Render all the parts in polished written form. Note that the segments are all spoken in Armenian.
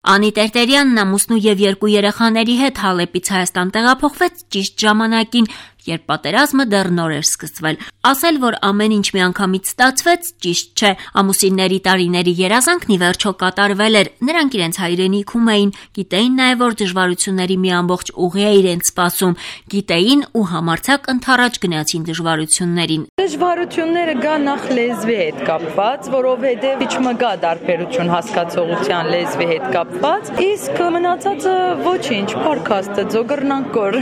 Անի Տերտերյանն ամուսնու եւ 2 երեխաների հետ Հալեպից Հայաստան տեղափոխվեց ճիշտ ժամանակին, երբ պատերազմը դեռ նոր էր սկսվել։ Ասել, որ ամեն ինչ միանգամից ստացվեց, ճիշտ չէ։ Ամուսինների տարիների երազանքն ի վերջո կատարվել էր։ Նրանք իրենց հայրենիքում էին, գիտեին նաեւ, որ դժվարությունների մի ամբողջ ուղի է իրենց սպասում, գիտեին ու համարձակ ընթառաջ գնացին դժվարություններին։ Դժվարությունները գա նախ լեզվի հետ կապված, որովհետև ինչ մգա դարբերություն հասկացողության լեզվի հետ կապված, իսկ մնացածը ոչինչ, փառքաստը ձոգռնակոր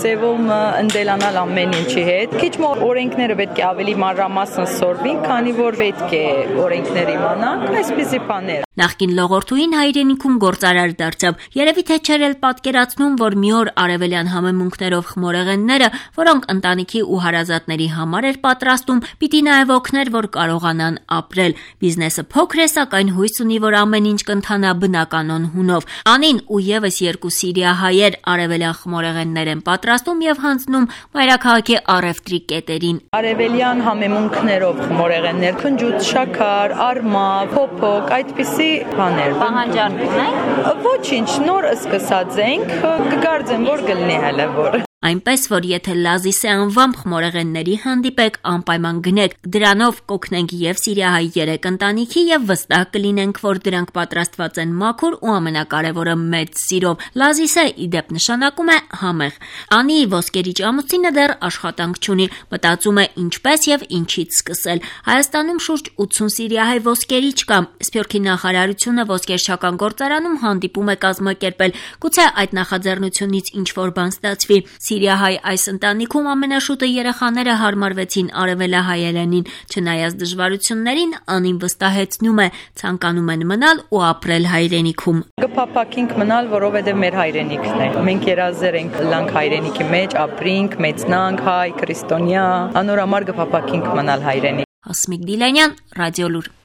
ձևում ընդելանալ ամեն ինչի հետ։ Քիչ մոտ օրենքները պետք է ավելի մանրամասն սորվին, քանի որ պետք է օրենքներ իմանանք, այսպիսի բաներ։ Նախկին լողորդուին հայրենիքում գործարար դարձավ։ Երևի թե չէր էլ պատկերացնում, որ մի օր արևելյան համեմունքներով խմորեղենները, որոնք ընտանիքի ու հարազատների համար էր պատրաստում, պիտի նաև օգներ, որ կարողանան ապրել։ Բիզնեսը փոքր է, սակայն հույս ունի, որ ամեն ինչ կընթանա բնականon հունով։ Անին ու եւս 2 սիրիահայեր արևելյան խմորեղեններ են պատրաստում եւ հանձնում մայրաքաղաքի առևտրի կետերին։ Արևելյան համեմունքներով խմորեղեններ, քնջուց, շաքար, արմա, փոփոք, այդպիսի բաներ։ Պահանջարկ ունեք։ Ոչինչ, նոր սկսած ենք, կգարձեմ, որ գլնի հələ որ։ Այնպես, որ եթե Լազիսե անվամբ խմորեղենների հանդիպեք, անպայման գնեք, դրանով կօգնենք եւ սիրիահայ 3 ընտանիքի եւ վստահ կլինենք, որ դրանք պատրաստված են մաքուր ու ամենակարևորը մեծ սիրով։ Լազիսե ի դեպ նշանակում է համեղ։ Անի ոսկերիչ ամուսինը դեռ աշխատանք չունի, մտածում է ինչպես եւ ինչից սկսել։ Հայաստանում շուրջ 80 սիրիահայ ոսկերիչ կա։ Սփյուռքի նախարարությունը ոսկերչական գործարանում հանդիպում է կազմակերպել։ Գուցե այդ նախաձեռնությունից ինչ որ բան ստացվի։ Սիրիահայ այս ընտանիքում ամենաշուտը երեխաները հարմարվեցին արևելահայերենին, չնայած դժվարություններին Անին վստահեցնում է, ցանկանում են մնալ ու ապրել հայրենիքում։ Կփափակենք մնալ, որովհետև մեր հայրենիքն է։ Մենք երազեր ենք լանք հայրենիքի մեջ, ապրենք, մեծնանք, հայ, քրիստոնյա, անոր համար կփափակենք մնալ հայրենիք։ Հասմիկ Դիլանյան, Ռադիոլուր։